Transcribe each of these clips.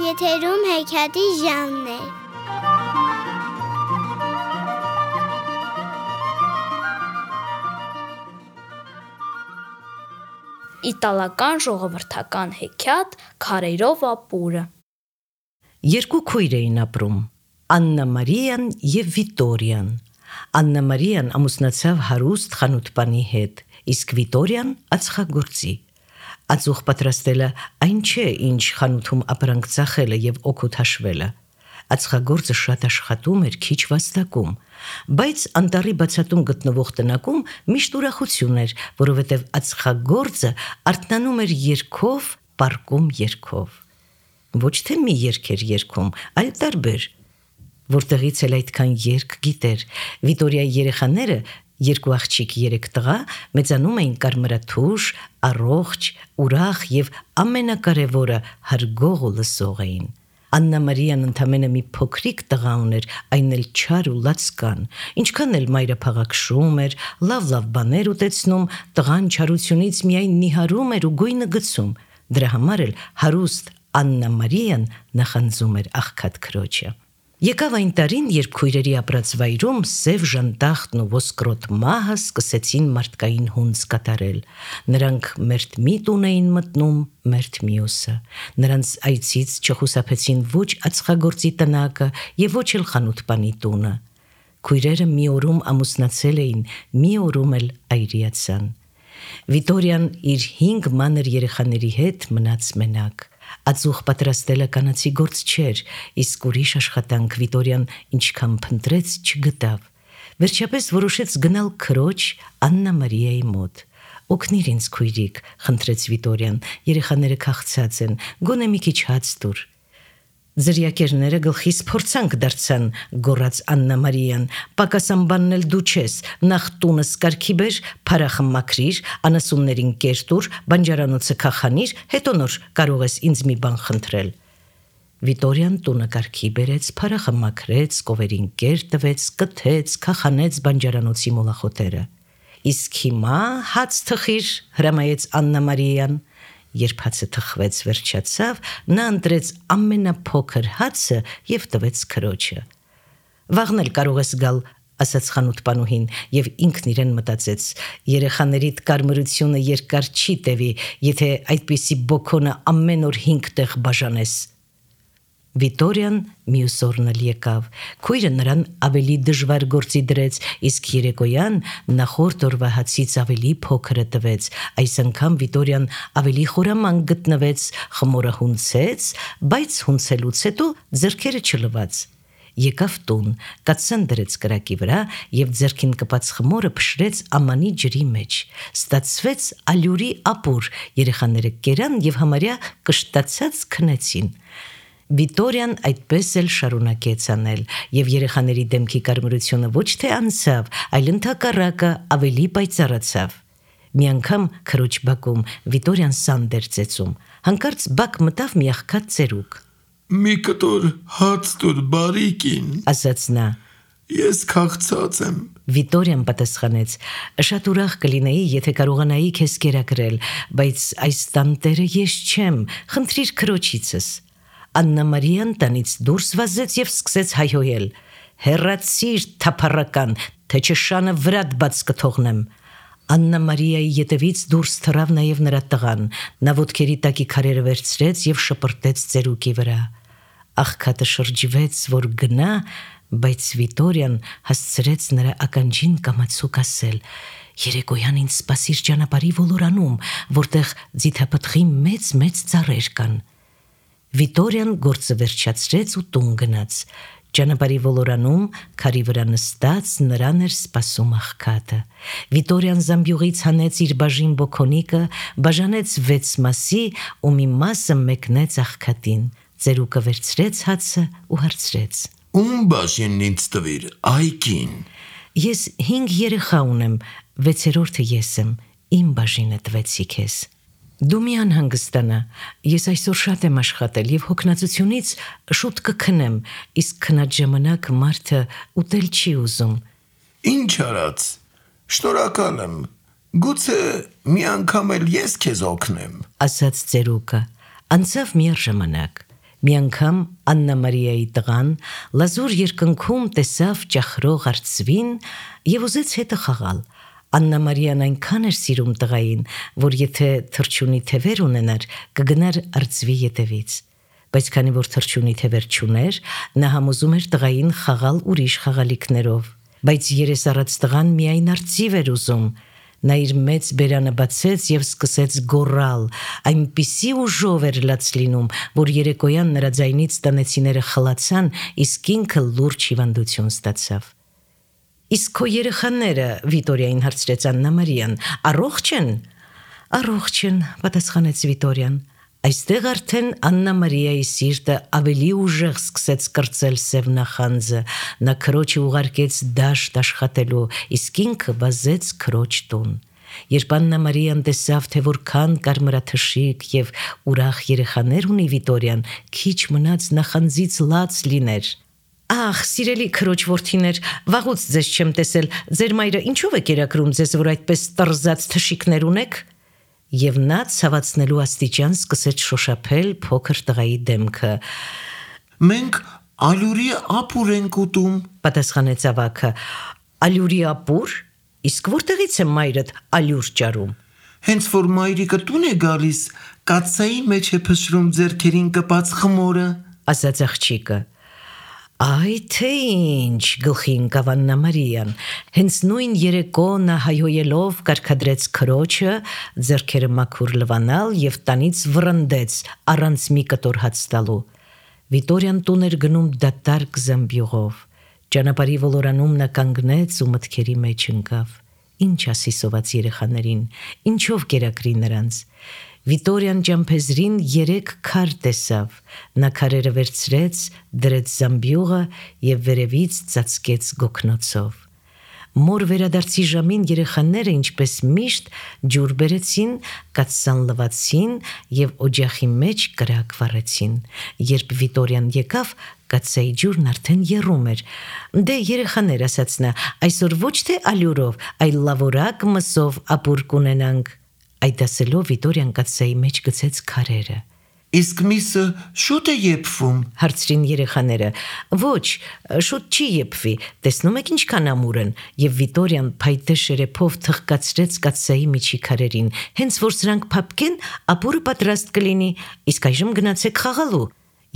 Եթերում հեքիաթի ժամն է։ Իտալական ժողովրդական հեքիաթ «Քարերով ապուրը»։ Երկու քույր էին ապրում՝ Աննա Մարիան և Վիտորիան։ Աննա Մարիան ամուսնացավ հարուստ խանութպանի հետ, իսկ Վիտորիան ածխագործի։ Ածուխ պատրաստելը այն չէ, ինչ խանութում ապրանք ծախելը և օգուտ հաշվելը։ Ածխագործը շատ աշխատում էր, քիչ վաստակում, բայց անտառի բացատում գտնվող տնակում միշտ ուրախություն էր, որովհետև ածխագործը արթնանում էր երգով, պառկում երգով։ Ոչ թե մի երգ էր երգում, այլ տարբեր։ Որտեղից էլ այդքան երգ գիտեր։ Վիտորիայի երեխաները, երկու աղջիկ, 3 տղա, մեծանում էին կարմրաթուշ, առողջ, ուրախ և ամենակարևորը հարգող ու լսող էին։ Աննա Մարիան ընդամենը մի փոքրիկ տղա ուներ, այն էլ չար ու լացկան։ Ինչքան էլ մայրը փաղաքշում էր, լավ բաներ ուտեցնում, տղան չարությունից միայն նիհարում էր ու գույնը գցում։ Դրա համար էլ հարուստ Աննա Մարիան նախանձում էր աղքատ քրոջը։ Եկավ այն տարին, երբ քույրերի ապրած վայրում սև ժանտախտն ու ոսկրոտ մահը սկսեցին մարդկային հունձ կատարել։ Նրանք մերթ մի տուն էին մտնում, մերթ մյուսը։ Նրանց այցից չխուսափեցին ոչ ածխագործի տնակը և ոչ էլ խանութպանի տունը։ Քույրերը մի օրում ամուսնացել էին, մի օրում էլ այրիացան։ Վիտորիան իր 5 մանր երեխաների հետ մնաց մենակ։ Ածուխ պատրաստելը կանացի գործ չէր, իսկ ուրիշ աշխատանք Վիտորիան ինչքան փնտրեց չգտավ։ Վերջապես որոշեց գնալ քրոջ Աննա Մարիայի մոտ։ «Օգնիր ինձ, քույրիկ», խնդրեց Վիտորիան, «երեխաները քաղցած են, գոնե մի քիչ հաց տուր»։ «Ձրիակերները գլխիս փորձանք դարձան», գոռաց Աննա Մարիան, «պակասան բանն էլ դու չես, նախ տունս կարգի բեր, փարախը մաքրիր, անասուններին կեր տուր, բանջարանոցը քաղանիր, հետո նոր կարող ես ինձ մի բան խնդրել»։ Վիտորիան տունը կարգի բերեց, փարախը մաքրեց, կովերին կեր տվեց, կթեց, քաղանեց բանջարանոցի մոլախոտերը։ «Իսկ հիմա հաց թխիր», հրամայեց Աննա Մարիան։ Երբ հացը թխվեց, վերջացավ, նա ընտրեց ամենափոքր հացը և տվեց քրոջը։ «Վաղն էլ կարող ես գալ», ասաց խանութպանուհին, և ինքն իրեն մտածեց. «Երեխաներիդ կարմրությունը երկար չի տևի, եթե այդպիսի բոքոնը ամեն օր 5 տեղ բաժանես»։ Վիտորիան մյուս օրն էլ եկավ։ Քույրը նրան ավելի դժվար գործի դրեց, իսկ երեկոյան նախորդ օրվա հացից ավելի փոքրը տվեց։ Այս անգամ Վիտորիան ավելի խորամանկ գտնվեց, խմորը հունցեց, բայց հունցելուց հետո ձեռքերը չլվաց։ Եկավ տուն, կաթսան դրեց կրակի վրա և ձեռքին կպած խմորը փշրեց ամանի ջրի մեջ։ Ստացվեց ալյուրի ապուր, երեխաները կերան և համարյա կշտացած քնեցին։ Վիտորիան այդպես էլ շարունակեց անել, և երեխաների դեմքի կարմրությունը ոչ թե անցավ, այլ ընդհակառակը ավելի պայծառացավ։ Մի անգամ քրոջ բակում Վիտորիան սանդ էր ծեծում, հանկարծ բակ մտավ մի աղքատ ծերուկ։ «Մի կտոր հաց տուր, բարի կին», ասաց նա։ «Ես քաղցած եմ»։ Վիտորիան պատասխանեց. «Շատ ուրախ կլինեի, եթե կարողանայի քեզ կերակրել, բայց այս տանտերը ես չեմ, խնդրիր քրոջիցս»։ Աննա Մարիան տնից դուրս վազեց և սկսեց հայհոյել. «Հեռացիր, թափառական, թե չէ շանը վրադ բաց կթողնեմ»։ Աննա Մարիայի ետևից դուրս թռավ նաև նրա տղան։ Նա ոտքերի տակի քարերը վերցրեց և շպրտեց ծերուկի վրա։ Աղքատը շրջվեց, որ գնա, բայց Վիտորիան հասցրեց նրա ականջին կամացուկ ասել. «Երեկոյան ինձ սպասիր ճանապարհի ոլորանում, որտեղ ձիթապտղի մեծ ծառեր կան»։ Վիտորիան գործը վերջացրեց ու տուն գնաց։ Ճանապարհի ոլորանում քարի վրա նստած նրան էր սպասում աղքատը։ Վիտորիան զամբյուղից հանեց իր բաժին բոքոնիկը, բաժանեց 6 մասի ու մի մասը մեկնեց աղքատին։ Ծերուկը վերցրեց հացը ու հարցրեց. «Ում բաժինն ինձ տվիր, այ կին»։ «Ես 5 երեխա ունեմ, 6-րդը ես եմ, իմ բաժինը տվեցի քեզ»։ Դու մի անհանգստանա, ես այսօր շատ եմ աշխատել եւ հոգնածությունից շուտ կքնեմ, իսկ քնած ժամանակ մարդը ուտել չի ուզում։ Ինչ արած։ Շնորհակալ եմ։ Գուցե մի անգամ էլ ես քեզ օգնեմ։ Ասաց ծերուկը։ Անցավ մի ժամանակ։ Մի անգամ Աննա Մարիայի տղան լազուր երկնքում տեսավ ճախրող արծվին եւ ուզեց հետը խաղալ։ Աննա Մարիան այնքան էր սիրում տղային, որ եթե թռչունի թևեր ունենար, կգնար արծվի ետևից։ Բայց քանի որ թռչունի թևեր չուներ, նա համոզում էր տղային խաղալ ուրիշ խաղալիքներով։ Բայց երեսառած տղան միայն արծիվ էր ուզում։ Նա իր մեծ բերանը բացեց եւ սկսեց գոռալ, այնպիսի ուժով էր լաց լինում, որ երեկոյան նրա ձայնից տնեցիները խլացան, իսկ ինքը լուրջ հիվանդություն ստացավ։ Իսկ քո երեխաները, Վիտորիային հարցրեց Աննա Մարիան, առողջ են։ Առողջ են, պատասխանեց Վիտորիան։ Այստեղ արդեն Աննա Մարիայի սիրտը ավելի ուժեղ սկսեց կրծել սև նախանձը։ Նա քրոջը ուղարկեց դաշտ աշխատելու, իսկ ինքը վազեց քրոջ տուն։ Երբ Աննա Մարիան տեսավ, թե որքան կարմրաթշիկ եւ ուրախ երեխաներ ունի Վիտորիան, քիչ մնաց նախանձից լաց լիներ։ Ախ, սիրելի քրոջ որդիներ, վաղուց ձեզ չեմ տեսել, ձեր մայրը ինչով է կերակրում ձեզ, որ այդպես տրզած թշիկներ ունեք։ Եվ նա ցավացնելու աստիճան սկսեց շոշափել փոքր տղայի դեմքը։ Մենք ալյուրի ապուր ենք ուտում, Պատասխանեց ավագը։ Ալյուրի ապուր։ Իսկ որտեղից է մայրդ ալյուր ճարում։ հենց որ մայրիկը տուն է գալիս, կաթսայի մեջ է փշրում ձեռքերին կպած խմորը։ Ասաց աղջիկը։ Այ թե ինչ, գլխի ընկավ Աննա Մարիան։ Հենց նույն երեկո նա հայհոյելով կարգադրեց քրոջը, ձեռքերը մաքուր լվանալ եւ տանից վռնդեց առանց մի կտոր հաց տալու։ Վիտորիան տուն էր գնում դատարկ զամբյուղով։ Ճանապարհի ոլորանում նա կանգնեց ու մտքերի մեջ ընկավ։ Ինչ ասի սոված երեխաներին, ինչով կերակրի նրանց։ Վիտորիան ջամփեզրին 3 քար տեսավ։ Նա քարերը վերցրեց, դրեց զամբյուղը եւ վերևից ծածկեց գոգնոցով։ Մոր վերադարձի ժամին երեխաները ինչպես միշտ ջուր բերեցին, կաթսան լվացին եւ օջախի մեջ կրակ վառեցին։ Երբ Վիտորիան եկավ, կաթսայի ջուրն արդեն եռում էր։ Դե երեխաներ, ասաց նա, այսօր ոչ թե ալյուրով, այլ լավորակ մսով ապուր կունենանք։ Այդ ասելով Վիտորիան կաթսայի մեջ գցեց քարերը։ Իսկ միսը շուտ է եփվում։ Հարցրին երեխաները։ Ոչ, շուտ չի եփվի, տեսնում եք ինչքան ամուր են։ Եվ Վիտորիան փայտե շերեփով թխկացրեց կաթսայի միջի քարերին։ Հենց որ սրանք փափկեն, ապուրը պատրաստ կլինի, իսկ այժմ գնացեք խաղալու։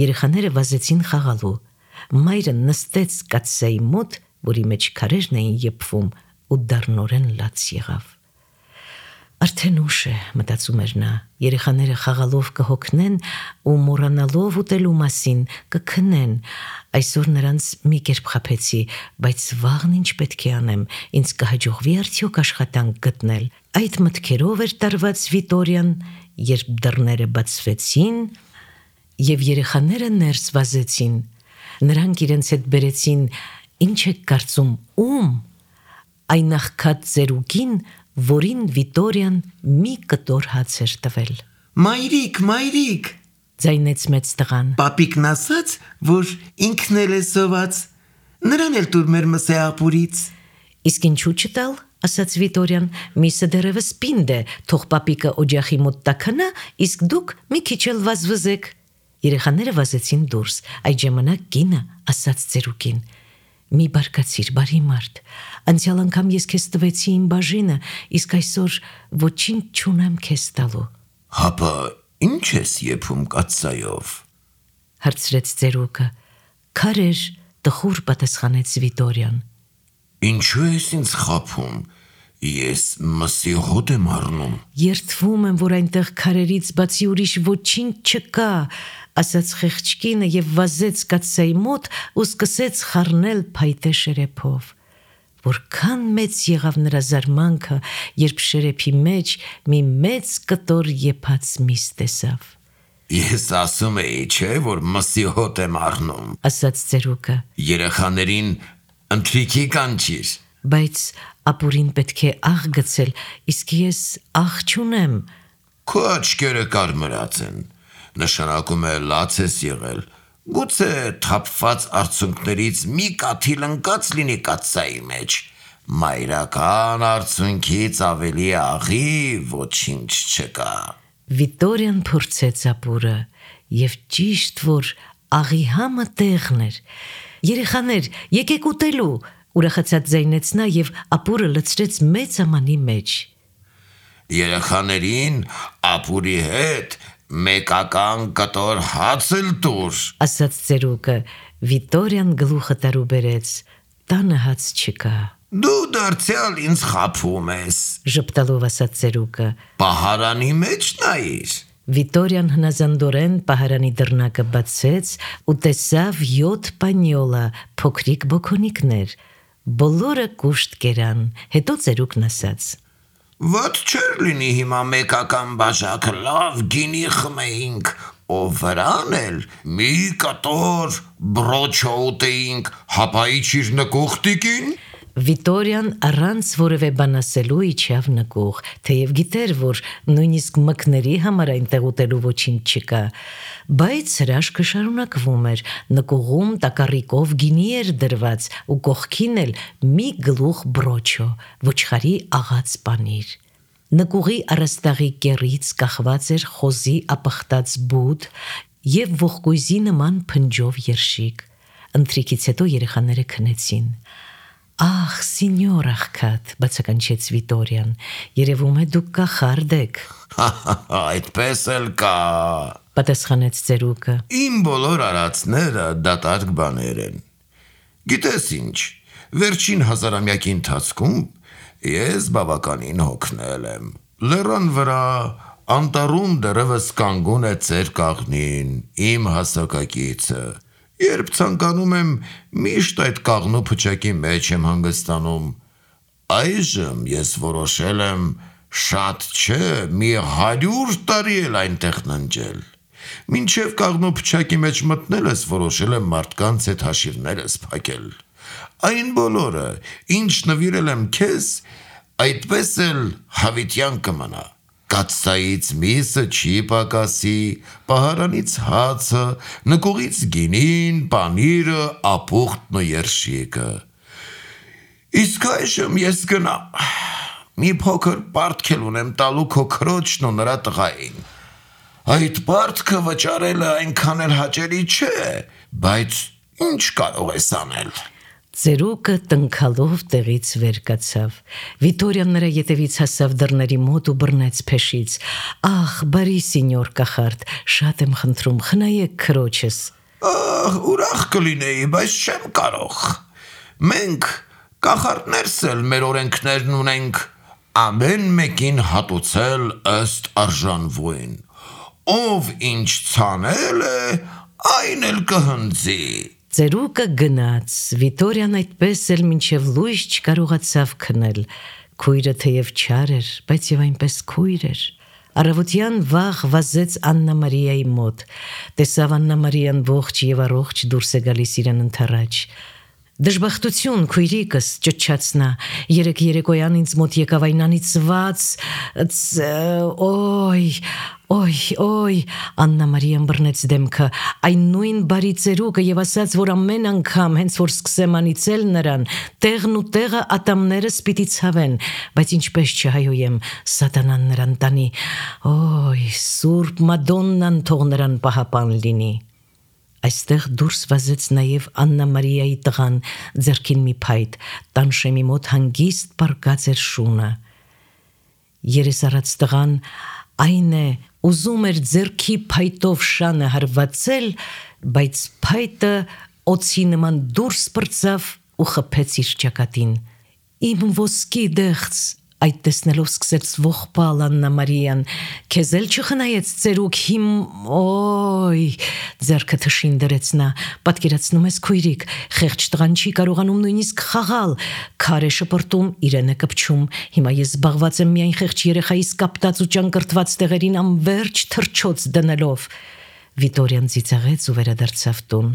Երեխաները վազեցին խաղալու։ Մայրը նստեց կաթսայի մոտ, որի մեջ քարերն էին եփվում, ու դառնորեն լաց եղավ։ Արդեն ուշ է, մտածում էր նա, երեխաները խաղալով կհոգնեն ու մոռանալով ուտելու մասին կքնեն։ Այսօր նրանց մի կերպ խաբեցի, բայց վաղն ինչ պետք է անեմ, ինձ կհաջողվի արդյոք աշխատանք գտնել։ Այդ մտքերով էր տարված Վիտորիան, երբ դռները բացվեցին եւ երեխաները ներս վազեցին։ Նրանք իրենց հետ բերեցին, ինչ եք կարծում, ում։ Այն աղքատ ծերուկին, որին Վիտորիան մի կտոր հաց էր տվել։ Մայրիկ, մայրիկ, ձայնեց մեծ տղան։ Պապիկն ասաց, որ ինքն էլ է սոված։ Նրան էլ տուր մեր մսե ապուրից։ Իսկ ինչու չտալ, ասաց Վիտորիան, միսը դեռևս պինդ է, թող պապիկը օջախի մոտ տաքանա, իսկ դուք մի քիչ էլ վազվզեք։ Երեխաները վազեցին դուրս, այդ ժամանակ կինը ասաց ծերուկին. Մի բարկացիր, բարի մարդ, անցյալ անգամ ես քեզ տվեցի իմ բաժինը, իսկ այսօր ոչինչ չունեմ քեզ տալու։ Հապա ինչ ես եփում կաթսայով։ Հարցրեց ծերուկը։ Քարեր, տխուր պատասխանեց Վիտորիան։ Ինչու ես ինձ խաբում։ Ես մսի հոտ եմ առնում։ Երդվում եմ, որ այնտեղ քարերից բացի ուրիշ ոչինչ չկա, ասաց խեղճկինը եւ վազեց կաթսայի մոտ ու սկսեց խառնել փայտե շերեփով։ Որքան մեծ եղավ նրա զարմանքը, երբ շերեփի մեջ մի մեծ կտոր եփած միս տեսավ։ Ես ասում էի, չէ, որ մսի հոտ եմ առնում, ասաց ծերուկը։ Երեխաներին ընթրիքի կանչիր։ Բայց ապուրին պետք է աղ գցել, իսկ ես աղ չունեմ։ Քո աչքերը կարմրած են, նշանակում է լաց ես եղել, գուցե թափված արցունքներից մի կաթիլ ընկած լինի կաթսայի մեջ, մայրական արցունքից ավելի աղի ոչինչ չկա։ Վիտորիան փորձեց ապուրը եւ ճիշտ որ աղի համը տեղն էր։ Երեխաներ, եկեք ուտելու, ուրախացած ձայնեց նա եւ ապուրը լցրեց մեծ ամանի մեջ։ Երեխաներին ապուրի հետ մեկական կտոր հաց էլ տուր, ասաց ծերուկը։ Վիտորիան գլուխը տարուբերեց։ Տանը հաց չկա։ դու դարձյալ ինձ խաբում ես, Ժպտալով ասաց ծերուկը։ պահարանի մեջ նայիր։ Վիտորիան հնազանդորեն պահարանի դռնակը բացեց ու տեսավ 7 պանյոլա, փոքրիկ բոքոնիկներ։ Բոլորը կուշտ կերան, հետո ծերուկն ասաց. Ված չեր լինի հիմա մեկական բաժակը լավ գինի խմեինք, ով վրան էլ մի կտոր բրոչո ուտեինք, հապայիչիր նկուղ տիկին։ Վիտորիան առանց որևէ բան ասելու իջավ նկուղ, թեև գիտեր, որ նույնիսկ մկների համար այնտեղ ուտելու ոչինչ չկա, բայց հրաշքը շարունակվում էր, նկուղում տակառիկով գինի էր դրված ու կողքին էլ մի գլուխ բրոչո, ոչխարի աղած պանիր։ Նկուղի առաստաղի կեռից կախված էր խոզի ապխտած բութ և ողկույզի նման փնջով երշիկ։ Ընթրիքից հետո երեխաները քնեցին։ Ախ, սինյոր աղքատ, բացականչեց Վիտորիան, երևում է դուք կախարդ եք։ Այդպես էլ կա, Պատասխանեց ծերուկը։ իմ բոլոր արածները դատարկ բաներ են։ Գիտես ինչ, վերջին հազարամյակի ընթացքում ես բավականին հոգնել եմ։ Լեռան վրա անտառում դեռևս կանգուն է ծեր կաղնին, իմ հասակակիցը։ Երբ ցանկանում եմ, միշտ այդ կաղնու փչակի մեջ եմ հանգստանում։ Այժմ ես որոշել եմ շատ չէ, մի 100 տարի էլ այնտեղ ննջել։ Մինչև կաղնու փչակի մեջ մտնել ես, որոշել եմ մարդկանց հետ հաշիվներս փակել։ Այն բոլորը, ինչ նվիրել եմ քեզ, այդպես էլ հավիտյան կմնա։ Կաթսայից միսը չի պակասի, պահարանից հացը, նկուղից գինին, պանիրը, ապուխտն ու երշիկը։ Իսկ այժմ ես գնամ, մի փոքր պարտքել ունեմ տալու քո քրոջն ու նրա տղային։ Այդ պարտքը վճարելը այնքան էլ հաճելի չէ, բայց ինչ կարող ես անել։ Ծերուկը տնքալով տեղից վեր կացավ։ Վիտորիան նրա ետևից հասավ դռների մոտ ու բռնեց փեշից։ Ախ, բարի սինյոր կախարդ, շատ եմ խնդրում, խնայեք քրոջս։ Ուրախ կլինեի, բայց չեմ կարող։ Մենք կախարդներս էլ մեր օրենքներն ունենք, ամեն մեկին հատուցել ըստ արժանվույն։ Ով ինչ ցանել է, այն էլ կհնձի։ Ծերուկը գնաց, Վիտորիան այդպես էլ մինչև լույս չկարողացավ քնել։ Քույրը թեև չար էր, բայց եւ այնպես քույր էր։ Առավոտյան վաղ վազեց Աննա Մարիայի մոտ։ Տեսավ Աննա Մարիան ողջ եւ առողջ դուրս է գալիս իրեն ընթառաջ։ Դժբախտություն, քույրիկս, ճչաց նա, երեկ երեկոյան ինձ մոտ եկավ այն անիծված, օй, Աննա Մարիան բռնեց դեմքը, այն նույն բարի ծերուկը եւ ասաց, որ ամեն անգամ, հենց որ սկսեմ անիծել նրան, տեղն ու տեղը ատամներս պիտի ցավեն, բայց ինչպես չհայոյեմ, սատանան նրան տանի, Սուրբ Մադոննան թող նրան պահապան լինի։ Այստեղ դուրս վազեց նաև Աննա Մարիայի տղան, ձեռքին մի փայտ, տանշեմի մոտ հանգիստ պառկած էր շունը։ Երեսառած տղան այն է, ուզում էր ձեռքի փայտով շանը հարվածել, բայց փայտը օձի նման դուրս պրծավ ու խփեց իր ճակատին։ Իմ ոսկի դեղց, այդ տեսնելով սկսեց ողբալ Աննա Մարիան, քեզ էլ չխնայեց ծերուկ ձեռքը թշին դրեց նա, պատկերացնում ես քույրիկ, խեղճ տղան չի կարողանում նույնիսկ խաղալ, քար է շպրտում, իրեն է կպչում, հիմա ես զբաղված եմ միայն խեղճ երեխայիս կապտած ու ճանկրտված տեղերին անվերջ թռչոց դնելով։ Վիտորիան ծիծաղեց ու վերադարձավ տուն։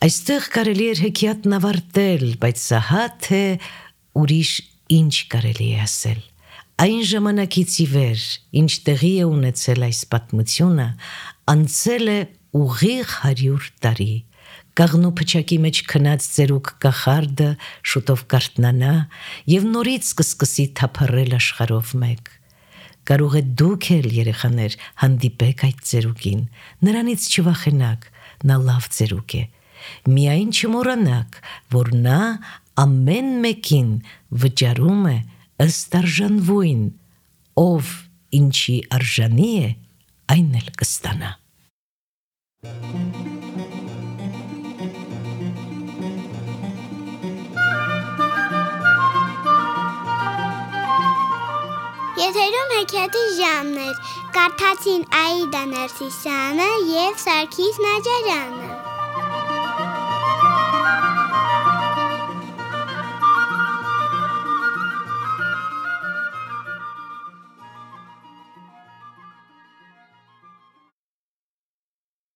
Այստեղ կարելի էր հեքիաթն ավարտել, բայց սա թե ուրիշ ինչ կարելի է ասել։ Այն ժամանակից ի վեր, ինչ տեղի է ունեցել այս պատմությունը, անցել է ուղիղ 100 տարի։ Գաղնու փչակի մեջ քնած ծերուկ կախարդը շուտով կարթնանա եւ նորից կսկսի թափառել աշխարհով մեկ։ Կարող է դուք էլ երեխաներ հանդիպեք այդ ծերուկին, նրանից չվախենաք, նա լավ ծերուկ է։ Միայն չմոռանաք, որ նա ամեն մեկին վճարում է ըստ արժանվույն, ով ինչի արժանի է, այն էլ կստանա։ Եթերում հեքիաթի ժամն էր, կարդացին Աիդա Ներսիսյանը և Սարգիս Նաջարյանը։